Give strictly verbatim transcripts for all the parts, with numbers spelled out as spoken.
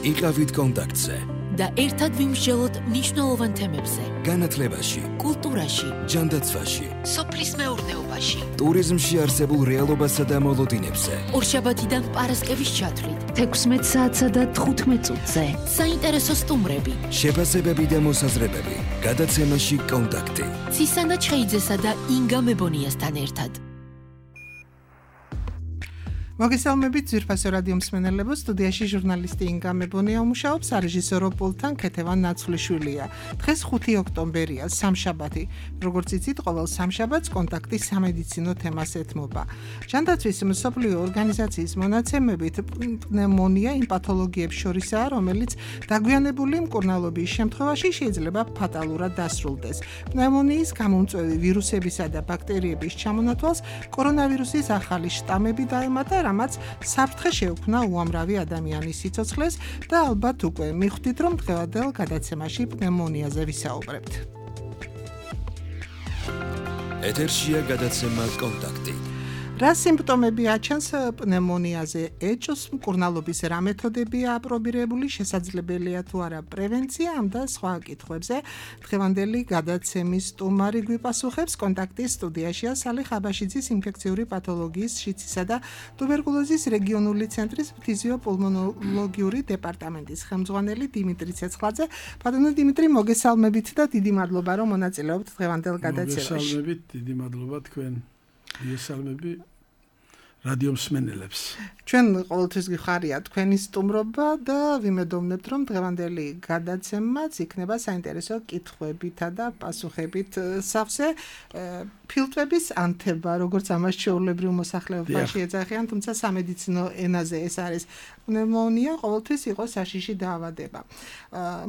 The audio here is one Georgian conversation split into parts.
იყავით კონტაქტზე და ერთად ვიმსჯელოთ მნიშვნელოვან თემებზე. განათლებაში, კულტურაში, ჯანდაცვაში, სოფლის მეურნეობაში, ტურიზმში არსებულ რეალობასა და მოლოდინებზე. ორშაბათიდან პარასკევის ჩათვლით, თექვსმეტ საათსა და თხუთმეტ წუთზე. საინტერესო სტუმრები, შეფასებები და მოსაზრებები. გადაცემაში კონტაქტი. ცისანა ჩხეიძესა და ინგა მებონიასთან ერთად. მოგესალმებით ძვირფასო რადიო მსმენელებო, სტუდიაში ჟურნალისტი ინგა მებონია უმუშაობს, სარეჟისორო პულტთან ქეთევან ნაცვლიშვილია. დღეს ხუთი ოქტომბერია, სამშაბათი. როგორც იცით, ყოველ სამშაბათს კონტაქტი სამედიცინო თემას ეთმობა. ჯანდაცვის მსოფლიო ორგანიზაციის მონაცემებით პნევმონია იმ პათოლოგიებს შორისაა, რომელიც დაგვიანებული მკურნალობის შემთხვევაში შეიძლება ფატალურად დასრულდეს. პნევმონიის გამომწვევი ვირუსებისა და ბაქტერიების ჩამონათვალს კორონავირუსის ახალი შტამები დაემატა, რამაც საფრთხე შეუქმნა უამრავი ადამიანის სიცოცხლეს და ალბათ უკვე მიხვდით, რომ დღევანდელ გადაცემაში პნევმონიაზე ვისაუბრებთ. ეთერშია გადაცემა კონტაქტი. რა სიმპტომები აჩენს პნევმონიაზე? ეჭვს, მკურნალობის რა მეთოდებია აპრობირებული, შესაძლებელია თუ არა პრევენცია ამ და სხვა კითხვებზე. დღევანდელი გადაცემის სტუმარი გვიპასუხებს. კონტაქტის სტუდიაშია სალი ხაბაშიძის ინფექციური პათოლოგიის, შიცისა და ტუბერკულოზის რეგიონული ცენტრის ფიზიოპულმონოლოგიური დეპარტამენტის ხელმძღვანელი დიმიტრი ცეცხლაძე. ბატონო დიმიტრი, მოგესალმებით და დიდი მადლობა, რომ მონაწილეობთ დღევანდელ გადაცემაში. მოგესალმებით, დიდი მადლობა თქვენ. იესალმები რადიო მსმენელებს. ჩვენ ყოველთვის გიხარია თქვენი სტუმრობა და ვიმედოვნებთ, რომ დღევანდელი გადაცემაც იქნება საინტერესო კითხვებითა და პასუხებით სავსე. ფილტვების ანთება, როგორც ამას ჩვეულებრივ მოსახლეობაში ეძახიან, თუმცა სამედიცინო ენაზე ეს არის პნევმონია, ყოველთვის იყო საშიში დაავადება.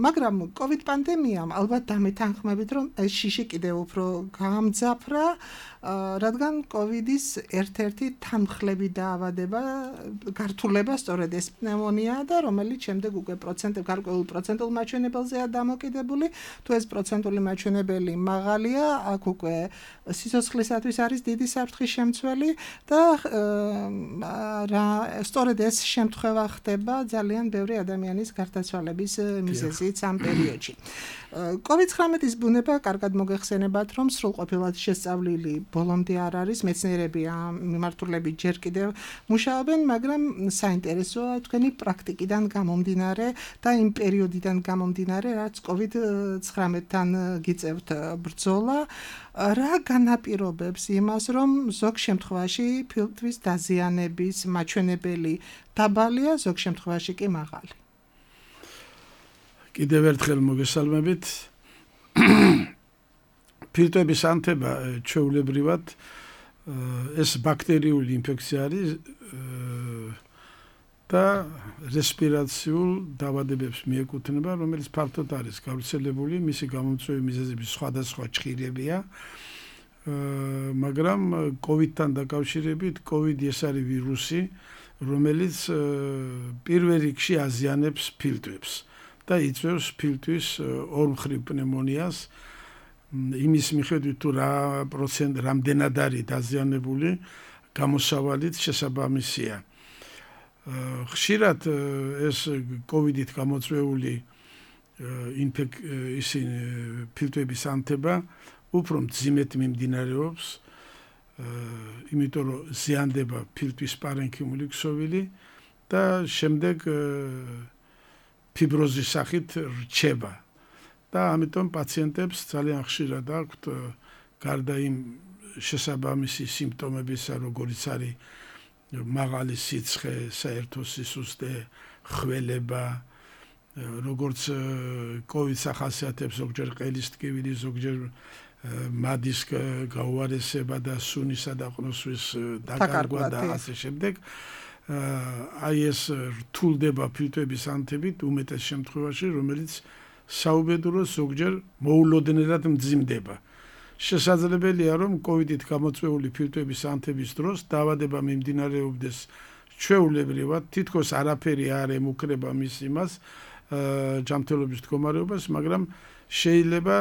მაგრამ კოვიდ პანდემიამ ალბათ დამეთანხმებით, რომ ეს შიში კიდევ უფრო გაამძაფრა, რადგან კოვიდის ერთ-ერთი თანმხლები დაავადება, გართულება სწორედ ეს პნევმონია და რომელიც შემდეგ უკვე პროცენტ გარკვეულ პროცენტულ მაჩვენებელზეა დამოკიდებული. თუ ეს პროცენტული მაჩვენებელი მაღალია, აქ უკვე სიცოცხლისათვის არის დიდი საფრთხის შემცველი და რა სწორედ ეს შემთხვევა ხდება ძალიან ბევრი ადამიანის გარდაცვალების მიზეზით ამ პერიოდში. კოვიდ ცხრამეტის ბუნება კარგად მოგეხსენებათ, რომ სრულყოფილად შესწავლილი ბოლომდე არ არის, მეცნიერები ამ მიმართულებით ჯერ კიდევ მუშაობენ, მაგრამ საინტერესოა თქვენი პრაქტიკიდან გამომდინარე და იმ პერიოდიდან გამომდინარე, რაც კოვიდ ცხრამეტთან გიწევთ ბრძოლა, რა განაპირობებს იმას, რომ ზოგ შემთხვევაში ფილტვის დაზიანების მაჩვენებელი დაბალია, ზოგ შემთხვევაში კი მაღალი. კიდევ ერთხელ მოგესალმებით. ფილტვების ანთება ჩვეულებრივად ეს ბაქტერიული ინფექცია არის და რესპირაციულ დაავადებებს მიეკუთვნება, რომელიც ფართოდ არის გავრცელებული, მისი გამომწვევი მიზეზები სხვადასხვა ჭხირებია, მაგრამ კოვიდთან დაკავშირებით, კოვიდი ეს არის ვირუსი, რომელიც პირველ რიგში აზიანებს ფილტვებს და იწვევს ფილტვის ორმხრივ პნევმონიას. იმის მიხედვით თუ რა პროცენტ რამდენად არის დაზიანებული, გამოსავალით შესაბამისია. ხშირად ეს კოვიდით გამოწვეული ისინი ფილტვების ანთება უფრო მძიმედ მიმდინარეობს, იმიტომ რომ ზიანდება ფილტვის პარენქიმული ქსოვილი და შემდეგ ფიბროზის სახით რჩება. და ამიტომ პაციენტებს ძალიან ხშირად აქვთ გარდა იმ შესაბამისი სიმპტომებისა, როგორიც არის მაღალი სიცხე, საერთო სისუსტე, ხველება, როგორც კოვიდს ახასიათებს ზოგჯერ ყელის ტკივილი, ზოგჯერ მადის გაუარესება და სუნისა და ყნოსვის დაკარგვა და ასე შემდეგ. აი ეს რთულდება ფილტვების ანთებით უმეტეს შემთხვევაში, რომელიც საუბედუროს ზოგჯერ მოულოდნელად მძიმდება. შესაძლებელია, რომ კოვიდით გამოწვეული ფილტვების ანთების დროს დაავადება მიმდინარეობდეს ჩვეულებრივად, თითქოს არაფერი არ ემუქრება მის იმას, ჯანმრთელობის მდგომარეობას, მაგრამ შეიძლება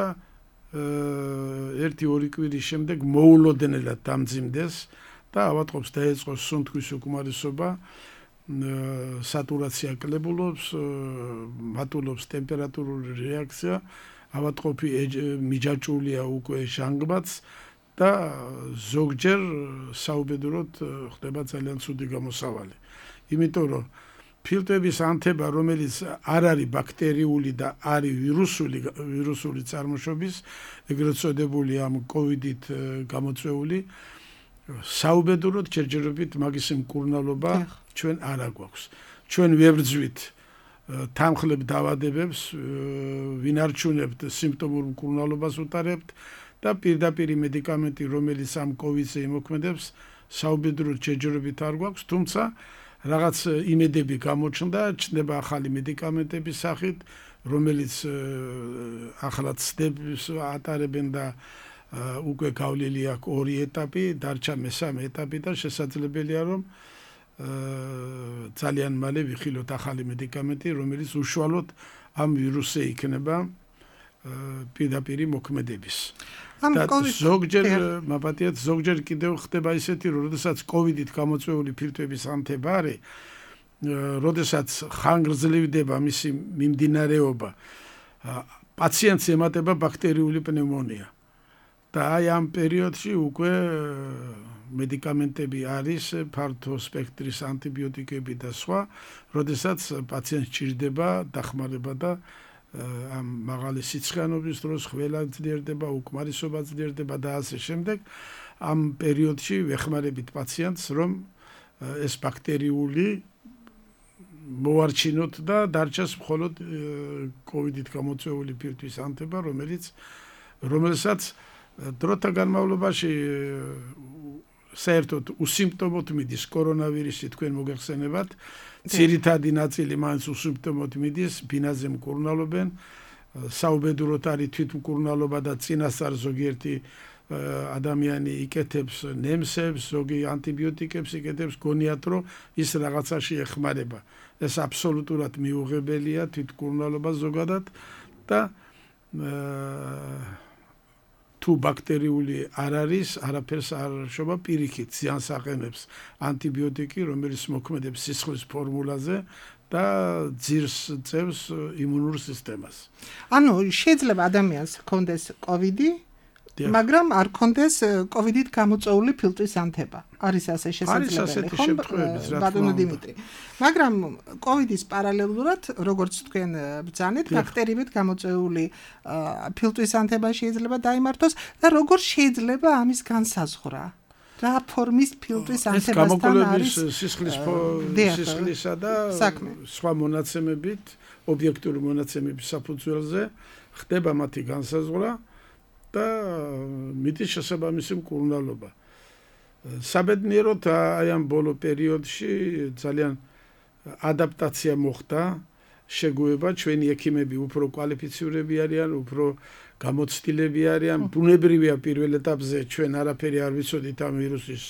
ერთი ორი კვირის შემდეგ მოულოდნელად დამძიმდეს და ავატყობს დაეწყოს სუნთქვის უკმარისობა სატურაცია კლებულობს, მატულობს ტემპერატურული რეაქცია, ავადმყოფი მიჯაჭვულია უკვე ჟანგბადს და ზოგჯერ საუბედუროდ ხდება ძალიან ცუდი გამოსავალი. იმიტომ რომ ფილტვების ანთება, რომელიც არ არის ბაქტერიული და არის ვირუსული ვირუსული წარმოშობის, ეგრეთ წოდებული ამ კოვიდით გამოწვეული, საუბედუროდ ჯერჯერობით მაგის მკურნალობა ჩვენ არ აგვაქვს. ჩვენ ვებრძვით თანხლებ დაავადებებს, ვინარჩუნებთ სიმპტომურ მკურნალობას უტარებთ და პირდაპირ მედიკამენტი, რომელიც ამ კოვიდზე იმოქმედებს, საუბედუროდ ჯერჯერობით არ გვაქვს, თუმცა რაღაც იმედები გამოჩნდა, ჩნდება ახალი მედიკამენტების სახით, რომელიც ახლა ცდებს ატარებენ და უკვე გავლილი აქვს ორი ეტაპი, დარჩა მესამე ეტაპი და შესაძლებელია რომ ძალიან მალე ვიხილოთ ახალი მედიკამენტი, რომელიც უშუალოდ ამ ვირუსზე იქნება პირდაპირ მოქმედების. და ზოგჯერ მაპატიეთ ზოგჯერ კიდევ ხდება ისეთი, რომ როდესაც კოვიდით გამოწვეული ფილტვების ანთება არის, როდესაც ხანგრძლივდება მისი მიმდინარეობა, პაციენტს ემატება ბაქტერიული პნევმონია. და აი ამ პერიოდში უკვე მედიკამენტები არის, ფართო სპექტრის ანტიბიოტიკები და სხვა, როდესაც პაციენტს ჭირდება დახმარება და ამ მაღალი სიცხიანობის დროს ხველა ძლიერდება, უკმარისობა ძლიერდება და ასე შემდეგ. ამ პერიოდში ვეხმარებით პაციენტს, რომ ეს ბაქტერიული მოარჩინოთ და დარჩას მხოლოდ კოვიდით გამოწვეული ფილტვის ანთება, რომელიც რომელსაც დროთა განმავლობაში საერთოდ უსიმპტომოდ მიდის კორონავირუსი, თქვენ მოგეხსენებათ, ძირითადი ნაწილი მაინც უსიმპტომოდ მიდის, ბინაზე მკურნალობენ, საუბედუროდ არის თვითმკურნალობა და წინასწარ ზოგიერთი ადამიანი იკეთებს ნემსებს, ზოგი ანტიბიოტიკებს იკეთებს, გონიათ რომ ის რაღაცაში ეხმარება. ეს აბსოლუტურად მიუღებელია თვითმკურნალობა ზოგადად და თუ ბაქტერიული არ არის, არაფერს არ შობა, პირიქით ზიანს აყენებს ანტიბიოტიკი, რომელიც მოქმედებს სისხლის ფორმულაზე და ძირს წევს იმუნურ სისტემას. ანუ შეიძლება ადამიანს ჰქონდეს კოვიდი, მაგრამ არ ჰქონდეს კოვიდით გამოწვეული ფილტვის ანთება. არის ასე შესაძლებელი, ხო? ბატონო დიმიტრი. მაგრამ კოვიდის პარალელურად, როგორც თქვენ ბრძანეთ, ბაქტერიებით გამოწვეული ფილტვის ანთება შეიძლება დაიმართოს და როგორ შეიძლება ამის განსაზღვრა? რა ფორმის ფილტვის ანთებასთან არის სისხლის სისხლისა და სხვა მონაცემებით, ობიექტური მონაცემების საფუძველზე ხდება მათი განსაზღვრა და მიდის შესაბამისი მკურნალობა. საბედნიეროდ აი ამ ბოლო პერიოდში ძალიან ადაპტაცია მოხდა, შეგუება, ჩვენი ექიმები უფრო კვალიფიცირებული არიან, უფრო გამოცდილები არიან, ბუნებრივია პირველ ეტაპზე ჩვენ არაფერი არ ვიცოდით ამ ვირუსის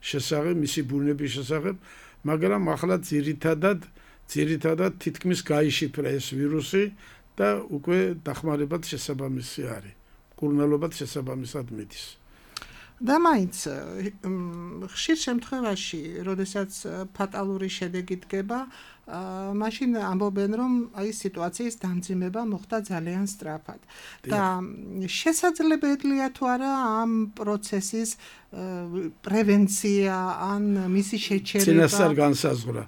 შესახებ, მისი ბუნების შესახებ, მაგრამ ახლა ძირითადად ძირითადად თითქმის გაიშიფრა ეს ვირუსი და უკვე დახმარებად შესაბამისი არის. მკურნალობად შესაბამისად მიდის. და მაინც ხშირ შემთხვევაში, როდესაც ფატალური შედეგი დგება, მაშინ ამბობენ, რომ აი სიტუაციის დამძიმება მოხდა ძალიან სწრაფად. და შესაძლებელია თუ არა ამ პროცესის პრევენცია ან მისი შეჩერება. წინასწარ განსაზღვრა.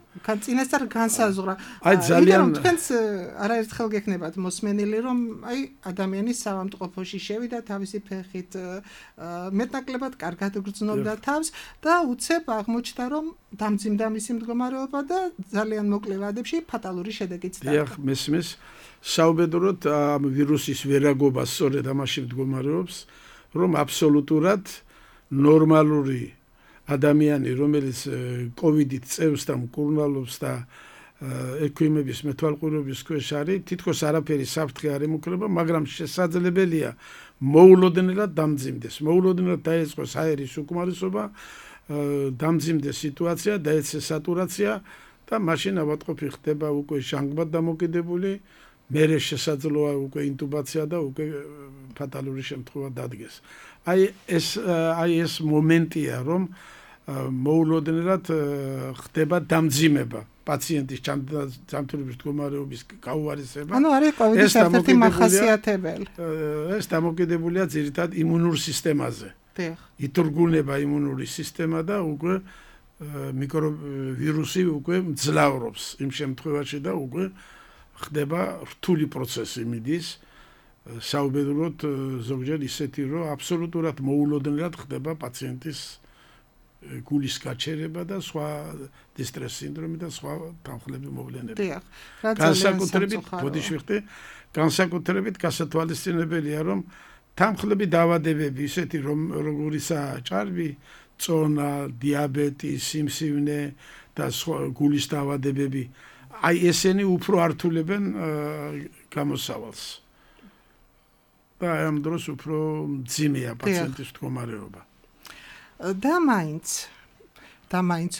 წინასწარ განსაზღვრა. აი ძალიან თქვენს არაერთხელ გექნებათ მოსმენილი, რომ აი ადამიანი საავადმყოფოში შევიდა თავისი ფეხით, მეტნაკლებად კარგად გრძნობდა თავს და უცებ აღმოჩნდა, რომ დამძიმდა მისი მდგომარეობა და ძალიან მოკლე ვადებში ფატალური შედეგიც დავა. დიახ, მესმის, საუბედუროდ ამ ვირუსის ვერაგობა სწორედ ამაში მდგომარეობს, რომ აბსოლუტურად ნორმალური ადამიანი, რომელიც კოვიდით წევს და მკურნალობს და ექვიმების მეთვალყურების ქვეშ არის, თითქოს არაფერი საფრთხე არ ემუქრება, მაგრამ შესაძლებელია მოულოდნელად დამძიმდეს. მოულოდნელად დაეწყოს აერის უკმარისობა, დამძიმდეს სიტუაცია, დაეცეს სატურაცია და მაშინ ავადმყოფი ხდება უკვე ჟანგბად დამოკიდებული, მერე შესაძლოა უკვე ინტუბაცია და უკვე ფატალური შემთხვევა დადგეს. აი ეს აი ეს მომენტია, რომ მოულოდნელად ხდება დამძიმება პაციენტის ჯანმრთელობის მდგომარეობის გაუარესება. ანუ არის კოვიდის ერთ-ერთი მახასიათებელი. ეს დამოკიდებულია ძირითადად იმუნურ სისტემაზე. დიახ. ითურგუნება იმუნური სისტემა და უკვე მიკროვირუსი უკვე მძლავრობს იმ შემთხვევაში და უკვე ხდება რთული პროცესი მიდის. საუბედუროთ ზოგჯერ ისეთი რომ აბსოლუტურად მოულოდნელად ხდება პაციენტის გულის გაჩერება და სხვა დისტრეს სინდრომი და სხვა თანხლები მოვლენები. დიახ. განსაკუთრებით, ბოდიში ვიხდი, განსაკუთრებით გასათვალისწინებელია რომ თანხლები დაავადებები ისეთი რომ როგორიცაა ჭარბი, წონა, დიაბეტი, სიმსივნე და სხვა გულის დაავადებები, აი ესენი უფრო ართულებენ გამოსავალს. და ამ დროს უფრო მძიმეა პაციენტის მდგომარეობა. და მაინც და მაინც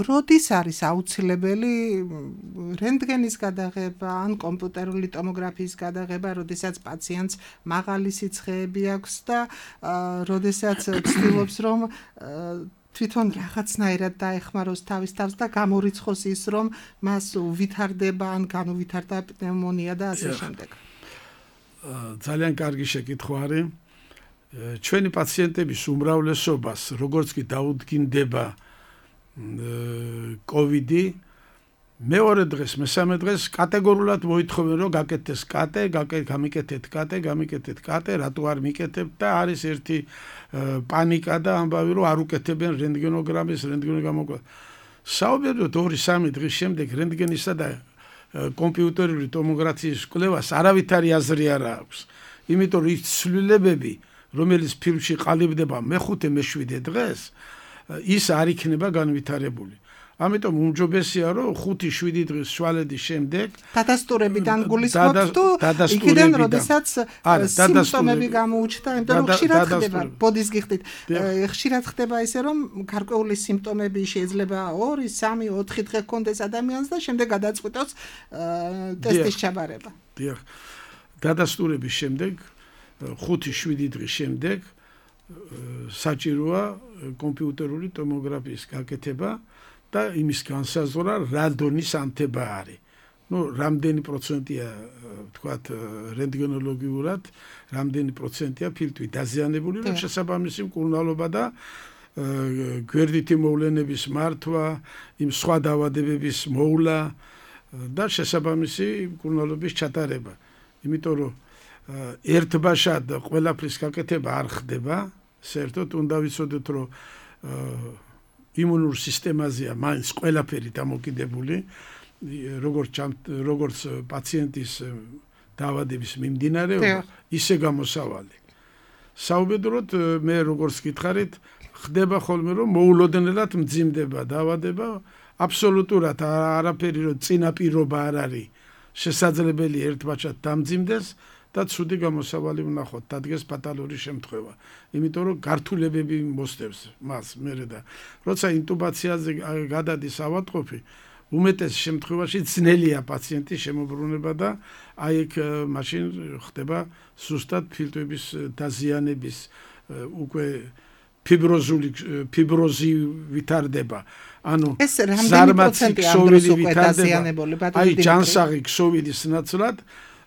როდის არის აუცილებელი რენტგენის გადაღება ან კომპიუტერული ტომოგრაფიის გადაღება, როდესაც პაციენტს მაღალი სიცხეები აქვს და როდესაც ცდილობს რომ თვითონ რაღაცნაირად დაეხმაროს თავის თავს და გამორიცხოს ის რომ მას უვითარდება ან განუვითარდა პნევმონია და ასე შემდეგ. ძალიან კარგი შეკითხვა არის. ჩვენი პაციენტების უმრავლესობას როგორც კი დაუდგინდება კოვიდი, მეორე დღეს, მესამე დღეს კატეგორიულად მოითხოვენ რომ გაკეთდეს კატე, გამიკეთეთ კატე, გამიკეთეთ კატე, რატო არ მიკეთებთ და არის ერთი პანიკა და ამბავი რომ არ უკეთებენ რენტგენოგრამის, რენტგენოგრამის. საუბედუროთ ორი სამი დღის შემდეგ რენტგენისა და კომპიუტერული ტომოგრაფიის კვლევას არავითარი აზრი არ აქვს. იმიტომ რომ ის ცვლილებები, რომელიც ფილმში ყალიბდება მეხუთე მეშვიდე დღეს, ის არ იქნება განვითარებული. ამიტომ უმჯობესია რომ ხუთი შვიდი დღის შვალედის შემდეგ დადასტურებიდან გულისხმობთ თუ იქიდან როდესაც სიმპტომები გამოუჩნდა, იმიტომ რომ ხშირად ხდება, ბოდის გიხდით, ხშირად ხდება ისე რომ გარკვეული სიმპტომები შეიძლება ორი, სამი, ოთხი დღე ჰქონდეს ადამიანს და შემდეგ გადაწყვიტოს ტესტის ჩაბარება. დიახ. დადასტურების შემდეგ ხუთი შვიდი დღის შემდეგ საჭიროა კომპიუტერული ტომოგრაფიის გაკეთება და იმის განსაზღვრა რა დონის ანთება არის. ნუ რამდენი პროცენტია თქვათ რენტგენოლოგიურად, რამდენი პროცენტია ფილტვი დაზიანებული, რომ შესაბამისი მკურნალობა და გვერდითი მოვლენების მართვა, იმ სხვა დაავადებების მოვლა და შესაბამისი მკურნალობის ჩატარება. იმიტომ რომ ერთბაშად ყველაფრის გაკეთება არ ხდება, საერთოდ უნდა ვიცოდეთ რომ იმუნურ სისტემაზეა მაინც ყველაფერი დამოკიდებული, როგორც როგორც პაციენტის დაავადების მიმდინარეობა, ისე გამოსავალი. საუბედუროთ მე როგორც გითხარით, ხდება ხოლმე რომ მოულოდნელად მძიმდება დაავადება, აბსოლუტურად არაფერი რომ წინაპირობა არ არის შესაძლებელი ერთბაჭად დამძიმდეს და ცუდი გამოსავალი ვნახოთ, დადგეს ფატალური შემთხვევა. იმიტომ რომ გართულებები მოსდევს მას მერე და როცა ინტუბაციაზე გადადის ავადმყოფი, უმეტეს შემთხვევაში ძნელია პაციენტის შემოbrunება და აი ეგ მაშინ ხდება ზუსტად ფილტვების დაზიანების უკვე ფიბროზული ფიბროზი ვითარდება. ანუ ეს რამდენი პროცენტია ამ დროს უკვე დაზიანებული? აი ჯანსაღი ქსოვილის ნაცვლად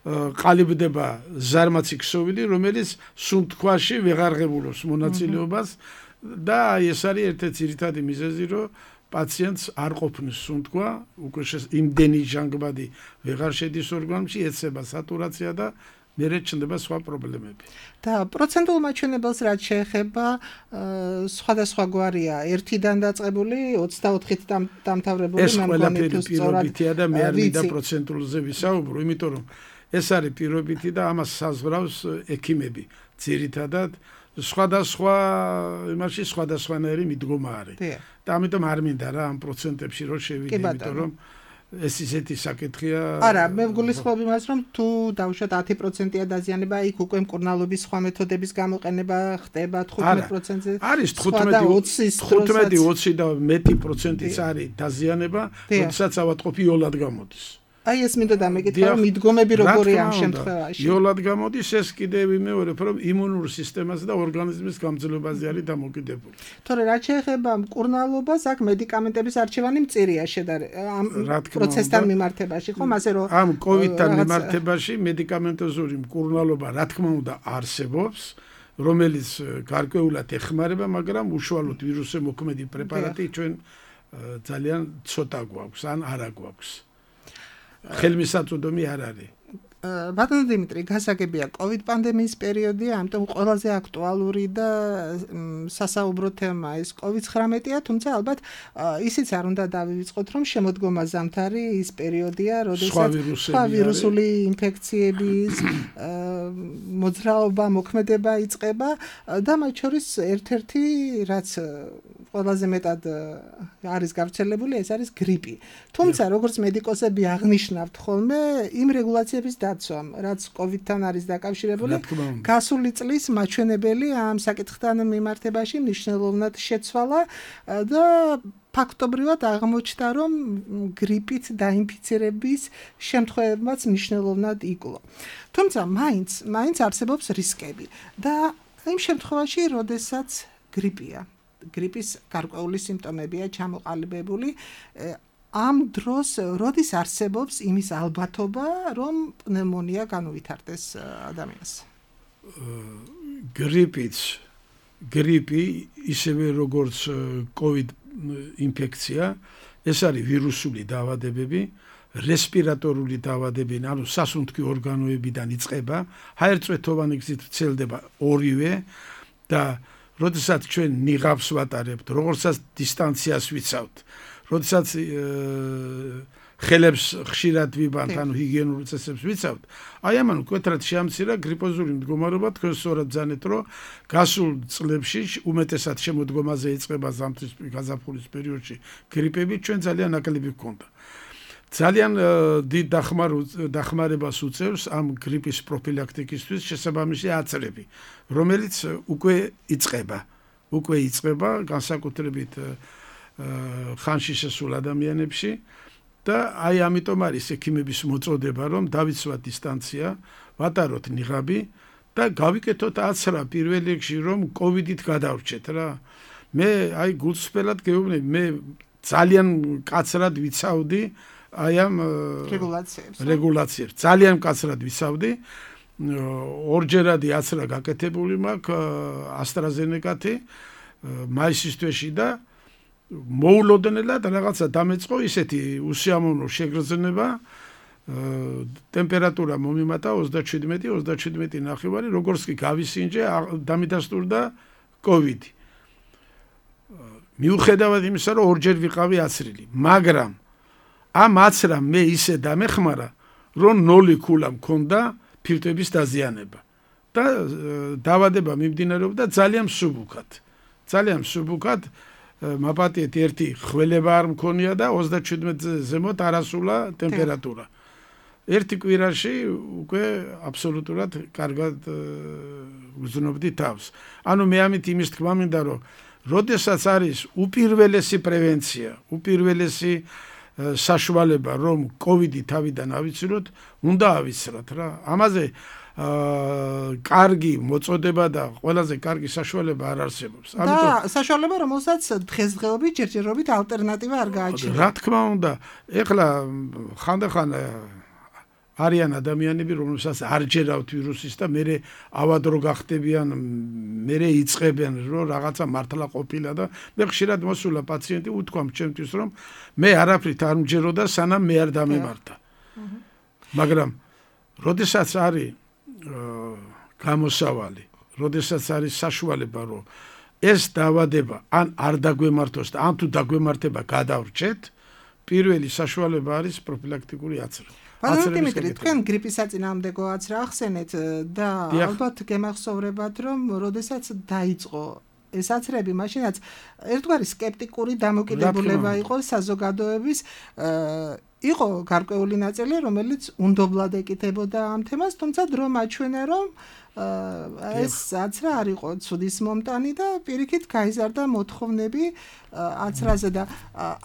ყალიბდება ზარმაცი ქსოვილი, რომელიც სუნთქვაში ვეღარ ღებულობს მონაწილეობას და ეს არის ერთ-ერთი ძირითადი მიზეზი, რომ პაციენტს არ ყოფნის სუნთქვა, უკვე იმდენი ჟანგბადი ვეღარ შედის ორგანიზმში, ეცება სატურაცია და მერე ჩნდება სხვა პრობლემები. და პროცენტულ მაჩვენებელს რაც შეეხება, სხვადასხვა გვარია, ერთიდან დაწყებული, ოცდაოთხით დამთავრებული, ეს ყველაფერი პირობითია და მე არ მინდა პროცენტულზე ვისაუბრო, იმიტომ რომ ეს არის პირობითი და ამას საზღვრავს ექიმები. ძირითადად სხვადასხვა იმაში სხვადასხვანაირი მიდგომა არის. და ამიტომ არ მინდა რა ამ პროცენტებში რომ შევიდე, იმიტომ რომ ეს ისეთი საკითხია. არა, მე ვგულისხმობ იმას, რომ თუ დავუშვათ ათი პროცენტია დაზიანება, იქ უკვე მკურნალობის სხვა მეთოდების გამოყენება ხდება თხუთმეტ პროცენტზე. არის თხუთმეტი ოცი და მეტი პროცენტიც არის დაზიანება, როდესაც ავადმყოფი იოლად გამოდის. აი ეს მინდა დამეკითხა, რომ მიდგომები როგორია ამ შემთხვევაში. იოლად გამოდის ეს კიდევ ვიმეორებ, რომ იმუნურ სისტემაზე და ორგანიზმის გამძლეობაზე არის დამოკიდებული. თორე რაც შეეხება მკურნალობას, აქ მედიკამენტების არჩევანი მწირია ამ პროცესთან მიმართებაში, ხომ, ასე რომ ამ კოვიდთან მიმართებაში მედიკამენტოზური მკურნალობა რა თქმა უნდა არსებობს, რომელიც გარკვეულად ეხმარება, მაგრამ უშუალოდ ვირუსზე მოქმედი პრეპარატი ჩვენ ძალიან ცოტა გვაქვს, ან არა გვაქვს. ხელმისაწვდომი არ არის. ბატონო დიმიტრი, გასაგებია კოვიდ პანდემიის პერიოდია, ამიტომ ყველაზე აქტუალური და სასაუბრო თემა ეს კოვიდ ცხრამეტია, თუმცა ალბათ ისიც არ უნდა დავივიწყოთ, რომ შემოდგომა ზამთარი ის პერიოდია, როდესაც სხვა ვირუსული ინფექციების მოძრაობა, მოქმედება იწყება და მათ შორის ერთ-ერთი რაც ყველაზე მეტად არის გავრცელებული, ეს არის გრიპი. თუმცა როგორც მედიკოსები აღნიშნავთ ხოლმე, იმ რეგულაციების დაცვამ, რაც კოვიდთან არის დაკავშირებული, გასული წლის მაჩვენებელი ამ საკითხთან მიმართებაში მნიშვნელოვნად შეცვალა და ფაქტობრივად აღმოჩნდა, რომ გრიპით დაინფიცირების შემთხვევებაც მნიშვნელოვნად იკლო. თუმცა მაინც, მაინც არსებობს რისკები და იმ შემთხვევაში, როდესაც გრიპია, გრიპის გარკვეული სიმპტომებია ჩამოყალიბებული, ამ დროს როდის არსებობს იმის ალბათობა, რომ პნევმონია განუვითარდეს ადამიანს? გრიპიც, გრიპი ისევე როგორც კოვიდ ინფექცია, ეს არის ვირუსული დაავადებები, რესპირატორული დაავადებები, ანუ სასუნთქი ორგანოებიდან იწყება, ჰაერწვეთოვანი გზით ვრცელდება ორივე და როდესაც ჩვენ ნიღაბს ვატარებთ, როგორცაც დისტანციას ვიცავთ, როდესაც ხელებს ხშირად ვიბანთ, ანუ ჰიგიენური წესებს ვიცავთ, აი ამან მკვეთრად შეამცირა გრიპოზული მდგომარეობა, თქვენ სწორად ბრძანეთ, რომ გასულ წლებში უმეტესად შემოდგომაზე იწყება ზამთრის გაზაფხულის პერიოდში გრიპები ჩვენ ძალიან ნაკლები გვქონდა. ძალიან დიდ დახმარებას უწევს ამ გრიპის პროფილაქტიკისთვის შესაბამისი აცრები, რომელიც უკვე იწყება, უკვე იწყება განსაკუთრებით ხანში შესულ ადამიანებში და აი ამიტომ არის ექიმების მოწოდება, რომ დავიცვათ დისტანცია, ვატაროთ ნიღაბი და გავიკეთოთ აცრა პირველ რიგში, რომ კოვიდით გადავრჩეთ რა. მე აი გულწრფელად გეუბნები, მე ძალიან კაცრად ვიცავდი აი ამ რეგულაციებს. რეგულაციებს. ძალიან კაცრად ვიცავდი. ორჯერადი აცრა გაკეთებული მაქვს AstraZeneca-თი მაისის თვეში და მოულოდნელად რაღაცა დამეწყო ისეთი უსიამოვნო შეგრძნება, ტემპერატურა მომიმატა ოცდაჩვიდმეტი ოცდაჩვიდმეტი ნახევარი, როგორც კი გავისინჯე, დამიდასტურდა კოვიდი. მიუხედავად იმისა, რომ ორჯერ ვიყავი აცრილი, მაგრამ ამ აცრამ მე ისე დამეხმარა, რომ ნოლი ქულა მქონდა ფილტვების დაზიანება და დაავადება მიმდინარეობდა ძალიან მსუბუქად. ძალიან მსუბუქად მაპატიეთ ერთი ხველება არ მქონია და ოცდაჩვიდმეტზე ზემოთ არასულა ტემპერატურა. ერთი კვირაში უკვე აბსოლუტურად კარგად ვზნობდი თავს. ანუ მე ამით იმის თქმა მინდა, რომ როდესაც არის უპირველესი პრევენცია, უპირველესი საშუალება, რომ კოვიდი თავიდან ავიცილოთ, უნდა ავიცრათ რა. ამაზე კარგი მოწოდება და ყველაზე კარგი საშუალება არ არსებობს. და საშუალება, რომელსაც დღესდღეობით ჯერჯერობით ალტერნატივა არ გააჩნია. რა თქმა უნდა, ეხლა ხანდახან არიან ადამიანები, რომელსაც არ ჯერავთ ვირუსის და მერე ავადრო გახდებიან, მერე იწყებენ, რომ რაღაცა მართლა ყოფილა და მე ხშირად მოსულა პაციენტი უთქვა ჩემთვის, რომ მე არაფრით არ მჯეროდა, სანამ მე არ დამემართა. მაგრამ როდესაც არის გამოსავალი, როდესაც არის საშუალება, რომ ეს დაავადება ან არ დაგვემართოს და ან თუ დაგვემართება გადავრჩეთ, პირველი საშუალება არის პროფილაქტიკური აცრა. ბატონო დიმიტრი, თქვენ გრიპის საწინააღმდეგო აცრა ახსენეთ და ალბათ გემახსოვრებათ, რომ როდესაც დაიწყო ეს აცრები, მაშინაც ერთგვარი სკეპტიკური დამოკიდებულება იყო საზოგადოების იყო გარკვეული ნაწილი, რომელიც უნდობლად ეკითხებოდა ამ თემას, თუმცა დრო მაჩვენა, რომ ეს აცრა არ იყო ცუდის მომტანი და პირიქით გაიზარდა მოთხოვნები აცრაზე და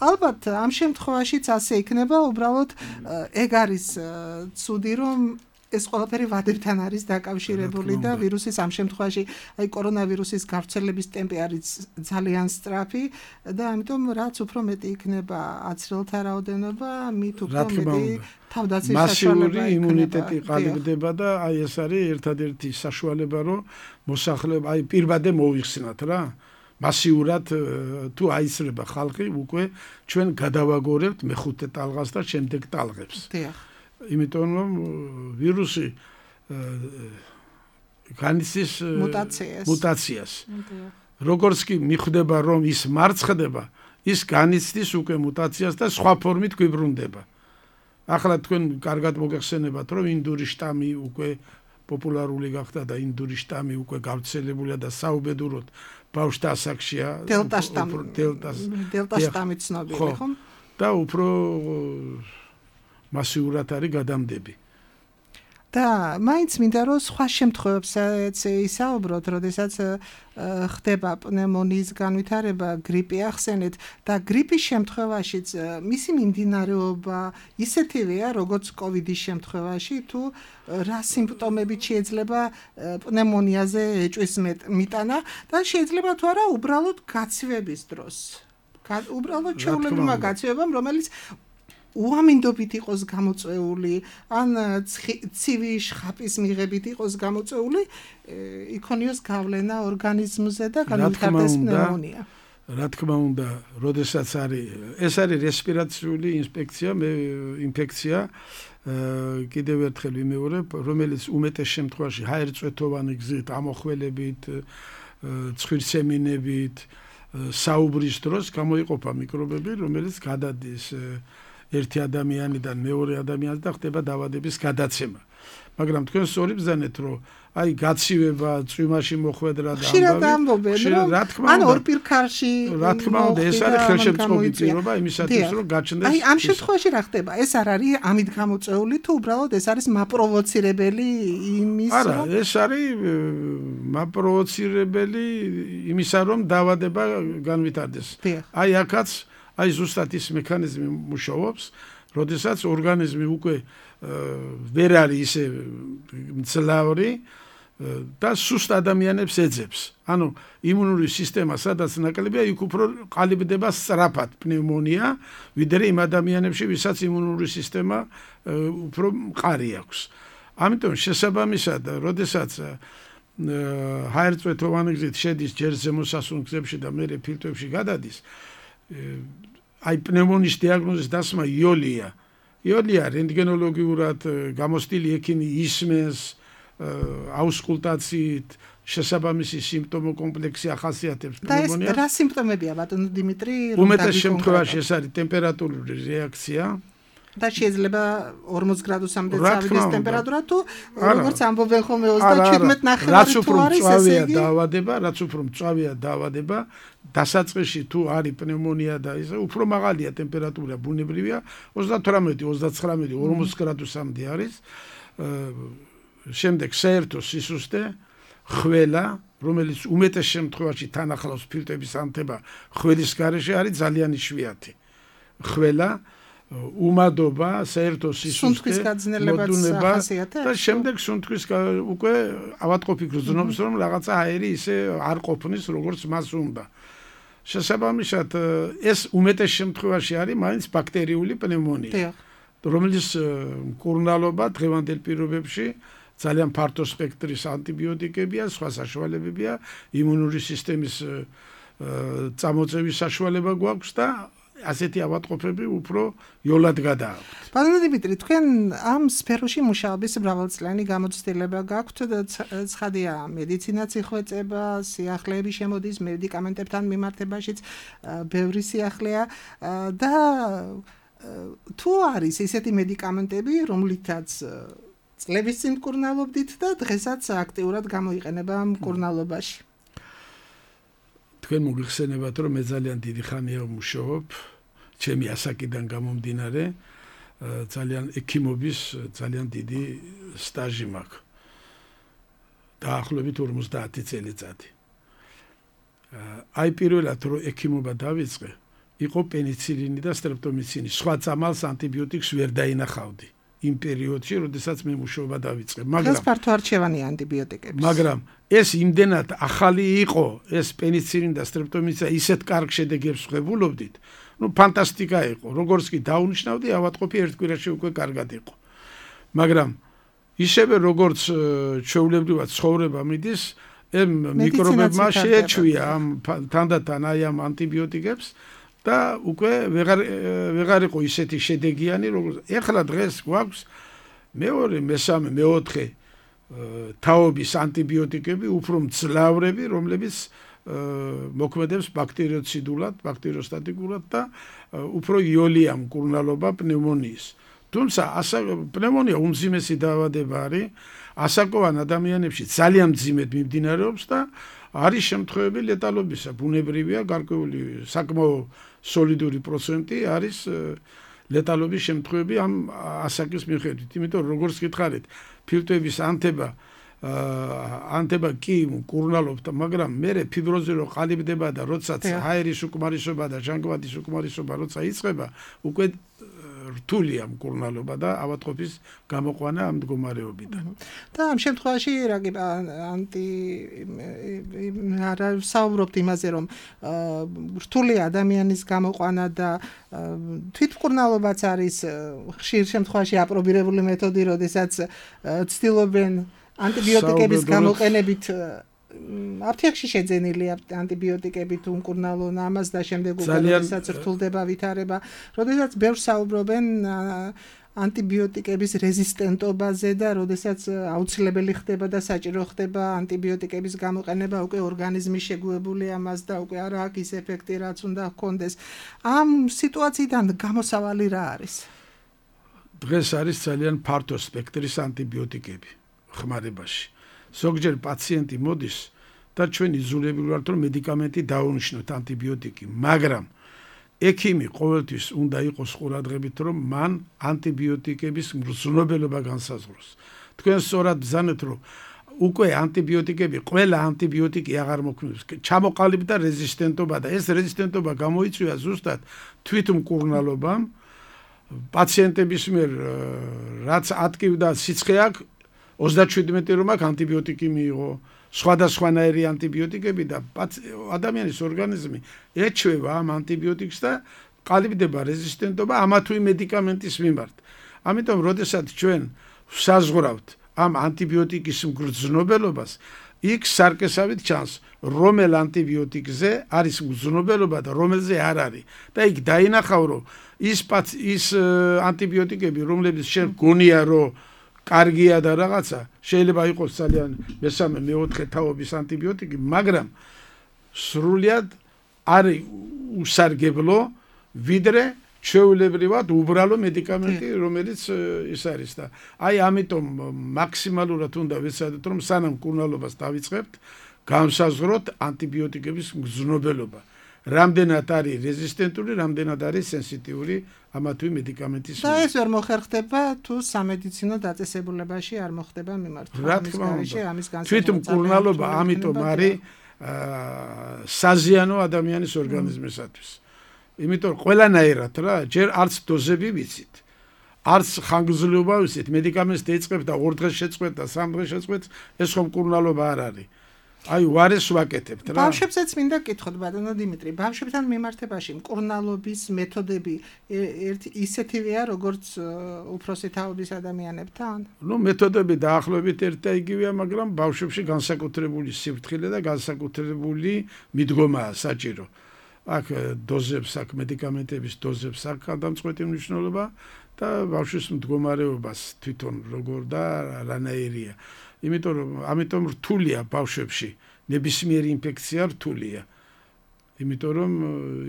ალბათ ამ შემთხვევაშიც ასე იქნება, უბრალოდ ეგ არის ცუდი, რომ ეს ყველაფერი ვადებთან არის დაკავშირებული და ვირუსის ამ შემთხვევაში აი კორონავირუსის გავრცელების ტემპი არის ძალიან სწრაფი და ამიტომ რაც უფრო მეტი იქნება აცრელთა რაოდენობა, მით უფრო მეტი თავდაცვის საშუალება მასიური იმუნიტეტი ყალიბდება და აი ეს არის ერთადერთი საშუალება, რომ მოსახლეობა აი პირბადე მოიხსნათ რა. მასიურად თუ აისრება ხალხი, უკვე ჩვენ გადავაგორებთ მეხუთე ტალღას და შემდეგ ტალღებს. დიახ. იმიტომ რომ ვირუსი განიცდის მუტაციას. როგორც კი მიხვდება, რომ ის მარცხდება, ის განიცდის უკვე მუტაციას და სხვა ფორმით გვიბრუნდება. ახლა თქვენ კარგად მოგეხსენებათ, რომ ინდური შტამი უკვე პოპულარული გახდა და ინდური შტამი უკვე გავრცელებულია და საუბედუროდ ბავშვთა ასაკშია დელტა შტამი. დელტა შტამი ცნობილი ხომ? და უფრო მასიურად არის გადამდები. და მაინც მინდა რომ სხვა შემთხვევებსაც ისაუბროთ, როდესაც ხდება პნევმონიის განვითარება, გრიპი ახსენეთ და გრიპის შემთხვევაშიც მისი მიმდინარეობა ისეთივეა, როგორც კოვიდის შემთხვევაში, თუ რა სიმპტომებით შეიძლება პნევმონიაზე ეჭვის მიტანა და შეიძლება თუ არა უბრალოდ გაცივების დროს. უბრალოდ ჩვეულებრივმა გაცივებამ, რომელიც უამინდობით იყოს გამოწვეული, ან ცივი შხაპის მიღებით იყოს გამოწვეული, იქონიოს გავლენა ორგანიზმზე და განვითარდეს პნევმონია. რა თქმა უნდა, როდესაც არის ეს არის რესპირაციული ინფექცია, ინფექცია, კიდევ ერთხელ ვიმეორებ, რომელიც უმეტეს შემთხვევაში ჰაერწვეთოვანი გზით, ამოხველებით, ცხვირსემინებით, საუბრის დროს გამოიყოფა მიკრობები, რომელიც გადადის ერთი ადამიანიდან მეორე ადამიანს და ხდება დაავადების გადაცემა. მაგრამ თქვენ სწორი ბრძანეთ, რომ აი გაცივება, წვიმაში მოხვედრა და ამბავი, რა თქმა უნდა, ან ორპირქარში, რა თქმა უნდა, ეს არის ხელშემწყობი პირობა იმისათვის, რომ გაჩნდეს. აი ამ შემთხვევაში რა ხდება? ეს არ არის ამით გამოწვეული თუ უბრალოდ ეს არის მაპროვოცირებელი იმის, რომ არა, ეს არის მაპროვოცირებელი იმისა, რომ დაავადება განვითარდეს. აი აქაც აი ზუსტად ის მექანიზმი მუშაობს, როდესაც ორგანიზმი უკვე ვერ არის ისე მძლავრი და სუსტ ადამიანებს ეძებს. ანუ იმუნური სისტემა, სადაც ნაკლებია, იქ უფრო ყალიბდება სწრაფად პნევმონია, ვიდრე იმ ადამიანებში, ვისაც იმუნური სისტემა უფრო მყარი აქვს. ამიტომ შესაბამისად, როდესაც ჰაერწვეთოვანი გზით შედის ჯერ ზემოსასუნ გზებში და მერე ფილტვებში გადადის, აი პნევმონიის დიაგნოზის დასმა იოლია. იოლია რენტგენოლოგიურად გამოსტილი ექიმი ისმენს აუსკულტაციით შესაბამისი სიმპტომო კომპლექსი ახასიათებს პნევმონიას. და ეს რა სიმპტომებია, ბატონო დიმიტრი? უმეტეს შემთხვევაში ეს არის ტემპერატურული რეაქცია. და შეიძლება ორმოც გრადუსამდე წავიდეს ტემპერატურა თუ როგორც ამბობენ ხოლმე ოცდაჩვიდმეტ ნახევარი თუ არის ესე იგი დაავადება, რაც უფრო მწვავეა დაავადება, დასაწყისში თუ არის პნევმონია და ის უფრო მაღალია ტემპერატურა, ბუნებრივია ოცდათვრამეტი, ოცდაცხრამეტი, ორმოც გრადუსამდე არის. შემდეგ საერთო სისუსტე, ხველა, რომელიც უმეტეს შემთხვევაში თან ახლავს ფილტვების ანთება, ხველის გარეშე არის ძალიან იშვიათი. ხველა უმადობა, საერთო სისუსტე, მოდუნება და შემდეგ სუნთქვის უკვე ავადმყოფი გრძნობს, რომ რაღაცა აერი ისე არ ყოფნის, როგორც მას უნდა. შესაბამისად, ეს უმეტეს შემთხვევაში არის მაინც ბაქტერიული პნევმონია, რომელიც მკურნალობა დღევანდელ პირობებში ძალიან ფართო სპექტრის ანტიბიოტიკებია, სხვა საშუალებებია, იმუნური სისტემის წამოწევის საშუალება გვაქვს და ასეთი ავადმყოფები უფრო იოლად გადააქვთ. ბატონო დიმიტრი, თქვენ ამ სფეროში მუშაობის მრავალწლიანი გამოცდილება გაქვთ და ცხადია, მედიცინაც იხვეწება, სიახლეები შემოდის, მედიკამენტებთან მიმართებაშიც ბევრი სიახლეა და თუ არის ისეთი მედიკამენტები, რომლითაც წლების წინ მკურნალობდით და დღესაც აქტიურად გამოიყენება მკურნალობაში. თქვენ მოგიხსენებათ, რომ მე ძალიან დიდი ხანია ვმუშაობ, ჩემი ასაკიდან გამომდინარე ძალიან ექიმობის ძალიან დიდი სტაჟი მაქვს. დაახლოებით ორმოცდაათი წელიწადი. აი პირველად რო ექიმობა დავიწყე, იყო პენიცილინი და სტრეპტომიცინი. სხვა წამალს ანტიბიოტიკს ვერ დაინახავდი იმ პერიოდში, როდესაც მე მუშაობა დავიწყე. მაგრამ ეს ფართო არჩევანი ანტიბიოტიკების. მაგრამ ეს იმდენად ახალი იყო, ეს პენიცილინი და სტრეპტომიცინი ისეთ კარგ შედეგებს ხვებულობდით. ნუ ფანტასტიკა იყო. როგორც კი დაუნიშნავდი, ავადმყოფი ერთ კვირაში უკვე კარგად იყო. მაგრამ ისევე როგორც ჩვეულებრივად ცხოვრება მიდის, ემ მიკრობებმა შეეჩვია ამ თანდათან აი ამ ანტიბიოტიკებს და უკვე ვეღარ ვეღარ იყო ისეთი შედეგიანი, როგორც ეხლა დღეს გვაქვს მეორე, მესამე, მეოთხე თაობის ანტიბიოტიკები, უფრო მძლავრები, რომლებიც მოქმედებს ბაქტერიოციდულად, ბაქტერიოსტატიკურად და უფრო იოლია მკურნალობა პნევმონიის. თუმცა პნევმონია უმძიმესი დაავადება არის, ასაკოვან ადამიანებში ძალიან მძიმედ მიმდინარეობს და არის შემთხვევები ლეტალობისა, ბუნებრივია, გარკვეული საკმაო სოლიდური პროცენტი არის ლეტალობის შემთხვევები ამ ასაკის მიხედვით. იმიტომ როგორც გითხარით, ფილტვების ანთება ანთება კი მკურნალობდა, მაგრამ მერე ფიბროზი რო ყალიბდება და როდესაც ჰაერის უკმარისობა და ჟანგბადის უკმარისობა როცა იწყება, უკვე რთულია მკურნალობა და ავადმყოფის გამოყვანა ამ მდგომარეობიდან. და ამ შემთხვევაში რაგი ანტი არა საუბრობთ იმაზე, რომ რთულია ადამიანის გამოყვანა და თვითმკურნალობაც არის ხშირ შემთხვევაში აპრობირებული მეთოდი, როდესაც ცდილობენ ანტიბიოტიკების გამოყენებით აფთიაქში შეძენილი ანტიბიოტიკები თუ მკურნალონ ამას და შემდეგ უკვე როდესაც რთულდება ვითარება, როდესაც ბევრს საუბრობენ ანტიბიოტიკების რეზისტენტობაზე და როდესაც აუცილებელი ხდება და საჭირო ხდება ანტიბიოტიკების გამოყენება, უკვე ორგანიზმი შეგუებული ამას და უკვე არ აქვს ის ეფექტი, რაც უნდა ჰქონდეს. ამ სიტუაციიდან გამოსავალი რა არის? დღეს არის ძალიან ფართო სპექტრის ანტიბიოტიკები ხმარებაში. ზოგჯერ პაციენტი მოდის და ჩვენ იზოლებული ვართ, რომ მედიკამენტი დაუნიშნოთ ანტიბიოტიკი, მაგრამ ექიმი ყოველთვის უნდა იყოს ყურადღებით, რომ მან ანტიბიოტიკების მგრძნობელობა განსაზღვროს. თქვენ სწორად ბრძანეთ, რომ უკვე ანტიბიოტიკები, ყველა ანტიბიოტიკი აღარ მოქმედებს. ჩამოყალიბდა რეზისტენტობა და ეს რეზისტენტობა გამოიწვია ზუსტად თვითმკურნალობამ. პაციენტების მიერ რაც ატკივდა სიცხე აქვს, ოცდაშვიდმეტი რომ აქ ანტიბიოტიკი მიიღო, სხვადასხვანაირი ანტიბიოტიკები და ადამიანის ორგანიზმი ეჩვევა ამ ანტიბიოტიკს და ყალიბდება რეზისტენტობა ამა თუ იმ მედიკამენტის მიმართ. ამიტომ, როდესაც ჩვენ ვსაზღვრავთ ამ ანტიბიოტიკის მგრძნობელობას, იქ სარკესავით ჩანს, რომელ ანტიბიოტიკზე არის მგრძნობელობა და რომელზე არ არის. და იქ დაინახავ, რომ ის ის ანტიბიოტიკები, რომლებიც შენ გონია, რომ კარგია და რაღაცა, შეიძლება იყოს ძალიან მესამე, მეოთხე თაობის ანტიბიოტიკი, მაგრამ სრულად არის უსარგებლო, ვიდრე ჩვეულებრივად უბრალო მედიკამენტი, რომელიც ის არის და აი ამიტომ მაქსიმალურად უნდა ვეცადოთ, რომ სანამ მკურნალობას დავიწყებთ, განსაზღვროთ ანტიბიოტიკების მგრძნობელობა. რამდენად არის რეზისტენტური, რამდენად არის სენსიტიური ამა თუ იმ მედიკამენტის. და ეს ვერ მოხერხდება თუ სამედიცინო დაწესებულებაში არ მოხდება მიმართვა. რა თქმა უნდა. თვითმკურნალობა ამიტომ არის საზიანო ადამიანის ორგანიზმისათვის. იმიტომ ყველანაირად რა, ჯერ არც დოზები ვიცით, არც ხანგრძლივობა ვიცით, მედიკამენტს დაიწყებ და ორ დღეს შეწყვეტ და სამ დღეს შეწყვეტ, ეს ხომ მკურნალობა არ არის. აი ვარეს ვაკეთებთ რა. ბავშვებსაც მინდა გკითხოთ ბატონო დიმიტრი, ბავშვებთან მიმართებაში მკურნალობის მეთოდები ერთ ისეთივეა, როგორც უფროსი თაობის ადამიანებთან? ნუ მეთოდები დაახლოებით ერთ და იგივეა, მაგრამ ბავშვებში განსაკუთრებული სიფრთხილე და განსაკუთრებული მიდგომაა საჭირო. აქ დოზებს, აქ მედიკამენტების დოზებს აქ გადამწყვეტი მნიშვნელობა და ბავშვის მდგომარეობას თვითონ როგორ და რანაირია. იმიტომ რომ ამიტომ რთულია ბავშვებში, ნებისმიერი ინფექცია რთულია. იმიტომ რომ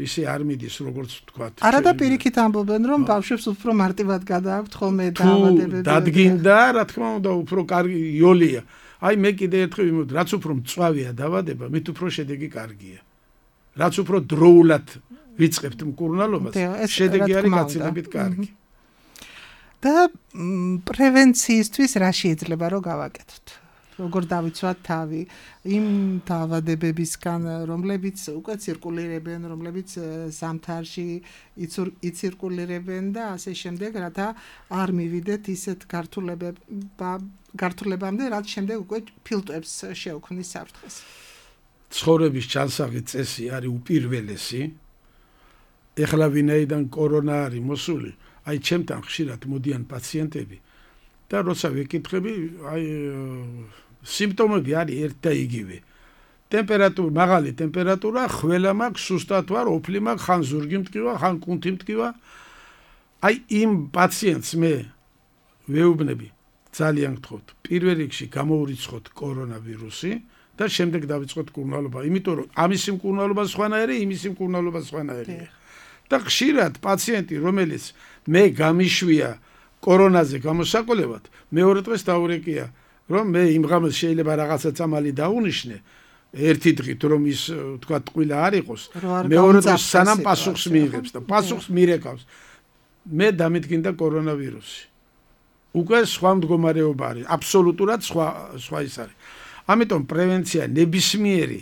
ისე არ მიდის, როგორც ვთქვათ. არა და პირიქით ამბობენ, რომ ბავშვებს უფრო მარტივად გადააქვთ ხოლმე დაავადებები. დადგინდა, რა თქმა უნდა, უფრო კარგი იოლია. აი მე კიდე ერთხელ ვიმოვიდი, რაც უფრო მწვავეა დაავადება, მით უფრო შედეგი კარგია. რაც უფრო დროულად ვიწყებთ მკურნალობას, შედეგი არის გაცილებით კარგი. და პრევენციისთვის რა შეიძლება რომ გავაკეთოთ? როგორ დავიცვათ თავი იმ დაავადებებისგან, რომლებიც უკვე ცირკულირებენ, რომლებიც ზამთარში იცირკულირებენ და ასე შემდეგ, რათა არ მივიდეთ ისეთ გართულებამდე, რაც შემდეგ უკვე ფილტვებს შეუქმნის საფრთხეს. ცხოვრების ჩანსაღი წესი არის უპირველესი. ეხლა ვინაიდან კორონა არის მოსული, აი ჩემთან ხშირად მოდიან პაციენტები და როცა ვეკითხები, აი სიმპტომები არის ერთ და იგივე. ტემპერატურა, მაღალი ტემპერატურა, ხველა მაქვს, სუსტად ვარ, ოფლი მაქვს, ხან ზურგი მტკივა, ხან კუნთი მტკივა. აი იმ პაციენტს მე ვეუბნები, ძალიან გთხოვთ, პირველ რიგში გამოურიცხოთ კორონავირუსი და შემდეგ დავიწყოთ მკურნალობა, იმიტომ რომ ამისი მკურნალობა სხვანაირი, იმისი მკურნალობა სხვანაირია. და ხშირად პაციენტი, რომელიც მე გამიშვია კორონაზე გამოსაკვლევად, მეორე დღეს დაურეკია, რომ მე იმ ღამეს შეიძლება რაღაცა წამალი დაუნიშნე, ერთი დღით რომ ის თქვა ტყუილა არ იყოს, მეორე დღეს სანამ პასუხს მიიღებს და პასუხს მირეკავს, მე დამიდგინდა კორონავირუსი. უკვე სხვა მდგომარეობა არის, აბსოლუტურად სხვა სხვა ის არის. ამიტომ პრევენცია ნებისმიერი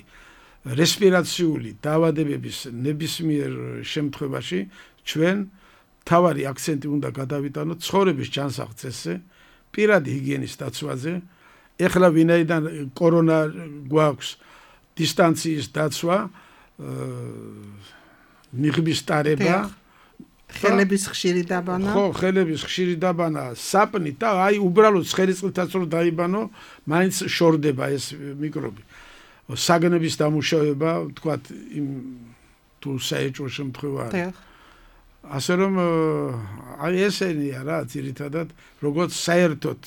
რესპირაციული დაავადებების ნებისმიერ შემთხვევაში ჩვენ თავარი აქცენტი უნდა გადავიტანოთ ცხოვრების ჩანსაღ წესზე, პირადი ჰიგიენის დაცვაზე. ეხლა ვინაიდან კორონა გვაქვს, დისტანციის დაცვა, ნიღბის ტარება, ხელების ხშირი დაბანა. ხო, ხელების ხშირი დაბანა, საპნი და აი უბრალოდ ხელისყრითაც რომ დაიბანო, მაინც შორდება ეს მიკრობი. საგნების დამუშავება, თქვათ, იმ თუ საეჭვო შემთხვევა არის. ასე რომ აი ესენია რა, ძირითადად, როგორც საერთოდ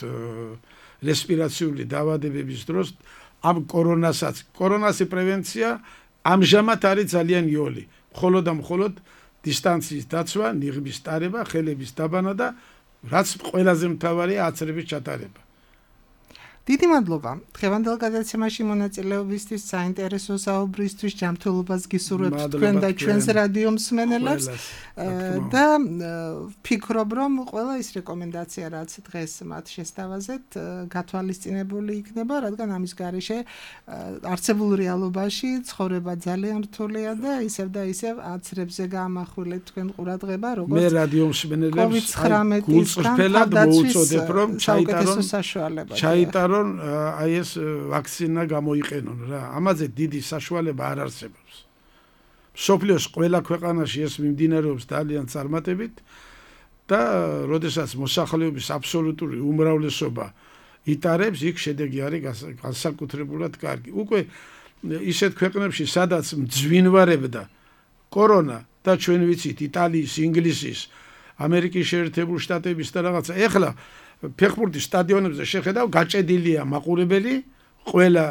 რესპირაციული დაავადებების დროს ამ კორონასაც, კორონასი პრევენცია ამჟამად არის ძალიან იოლი. მხოლოდ და მხოლოდ დისტანციის დაცვა, ნიღბის ტარება, ხელების დაბანა და რაც ყველაზე მთავარია, აცრების ჩატარება. დიდი მადლობა. დღევანდელ გადაცემაში მონაწილეობისთვის, საინტერესო საუბრისთვის, ჯანმრთელობას გისურვებთ თქვენ და ჩვენს რადიო მსმენელებს და ვფიქრობ, რომ ყველა ის რეკომენდაცია, რაც დღეს მათ შესთავაზეთ, გათვალისწინებული იქნება, რადგან ამის გარეშე არსებულ რეალობაში ცხოვრება ძალიან რთულია და ისევ და ისევ აცრებზე გაამახვილეთ თქვენ ყურადღება, როგორც მე რადიო მსმენელებს გულწრფელად მოუწოდებ, რომ ჩაიტარონ ჩაიტარონ აი ეს ვაქცინა გამოიყენონ რა. ამაზე დიდი საშუალება არ არსებობს. მსოფლიოს ყველა ქვეყანაში ეს მიმდინარეობს ძალიან წარმატებით და როდესაც მოსახლეობის აბსოლუტური უმრავლესობა იტარებს, იქ შედეგი არის განსაკუთრებულად კარგი. უკვე ისეთ ქვეყნებში, სადაც მძვინვარებდა კორონა და ჩვენ ვიცით იტალიის, ინგლისის, ამერიკის შეერთებული შტატების და რაღაცა, ეხლა ფეხბურთის სტადიონებზე შეხედავ, გაჭედილია მაყურებელი, ყველა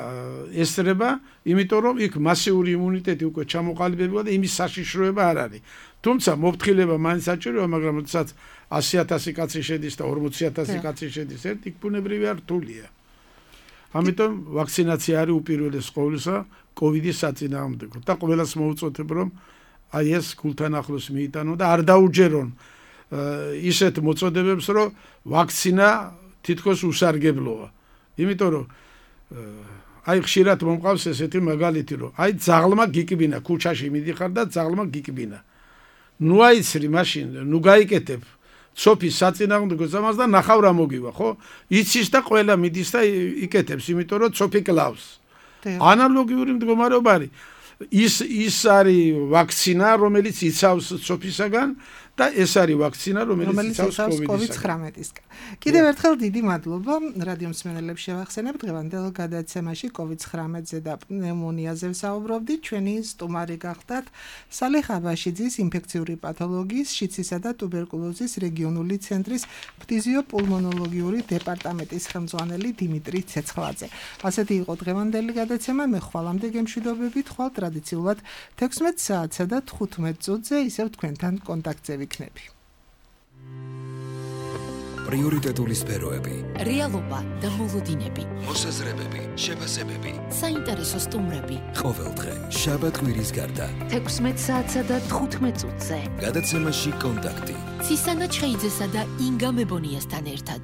ესწრება, იმიტომ რომ იქ მასიური იმუნიტეტი უკვე ჩამოყალიბებულა და იმის საშიშროება არ არის. თუმცა მოფრთხილება მაინც საჭიროა, მაგრამ როდესაც ასი ათასი კაცი შედის და ორმოცი ათასი კაცი შედის ერთ, იქ ბუნებრივი არ რთულია. ამიტომ ვაქცინაცია არის უპირველეს ყოვლისა კოვიდის საწინააღმდეგო და ყველას მოუწოდებ, რომ აი ეს გულთან ახლოს მიიტანონ და არ დაუჯერონ ისეთ მოწოდებებს, რომ ვაქცინა თითქოს უსარგებლოა. იმიტომ რომ აი ხშირად მომყავს ესეთი მაგალითი, რომ აი ძაღლმა გიკბინა, ქუჩაში მიდიხარ და ძაღლმა გიკბინა. ნუ აიცრი მაშინ, ნუ გაიკეთებ ცოფის საწინააღმდეგო ზამას და ნახავ რა მოგივა, ხო? იცის და ყველა მიდის და იკეთებს, იმიტომ რომ ცოფი კლავს. ანალოგიური მდგომარეობა არის. ის ის არის ვაქცინა, რომელიც იცავს ცოფისაგან და ეს არის ვაქცინა, რომელიც იცავს კოვიდ ცხრამეტისგან. კიდევ ერთხელ დიდი მადლობა. რადიო მსმენელებს შევახსენებ, დღევანდელ გადაცემაში კოვიდ ცხრამეტზე და პნევმონიაზე ვსაუბრობდით. ჩვენი სტუმარი გახდათ სალიხ აბაშიძის ინფექციური პათოლოგიის, შიცისა და ტუბერკულოზის რეგიონული ცენტრის ფთიზიოპულმონოლოგიური დეპარტამენტის ხელმძღვანელი დიმიტრი ცეცხლაძე. ასეთი იყო დღევანდელი გადაცემა. მე ხვალამდე გემშვიდობებით, ხვალ ტრადიციულად თექვსმეტ საათსა და თხუთმეტ წუთზე ისევ თქვენთან კონტაქტზე ვიქნები. პრიორიტეტული სფეროები, რეალობა და მოლოდინები, მოსაზრებები, შეფასებები. საინტერესო სტუმრები. ყოველდღე, შაბათ-კვირის გარდა. თექვსმეტ საათსა და თხუთმეტ წუთზე. გადაცემაში კონტაქტი. ცისანა ჩხეიძესა და ინგა მებონიასთან ერთად.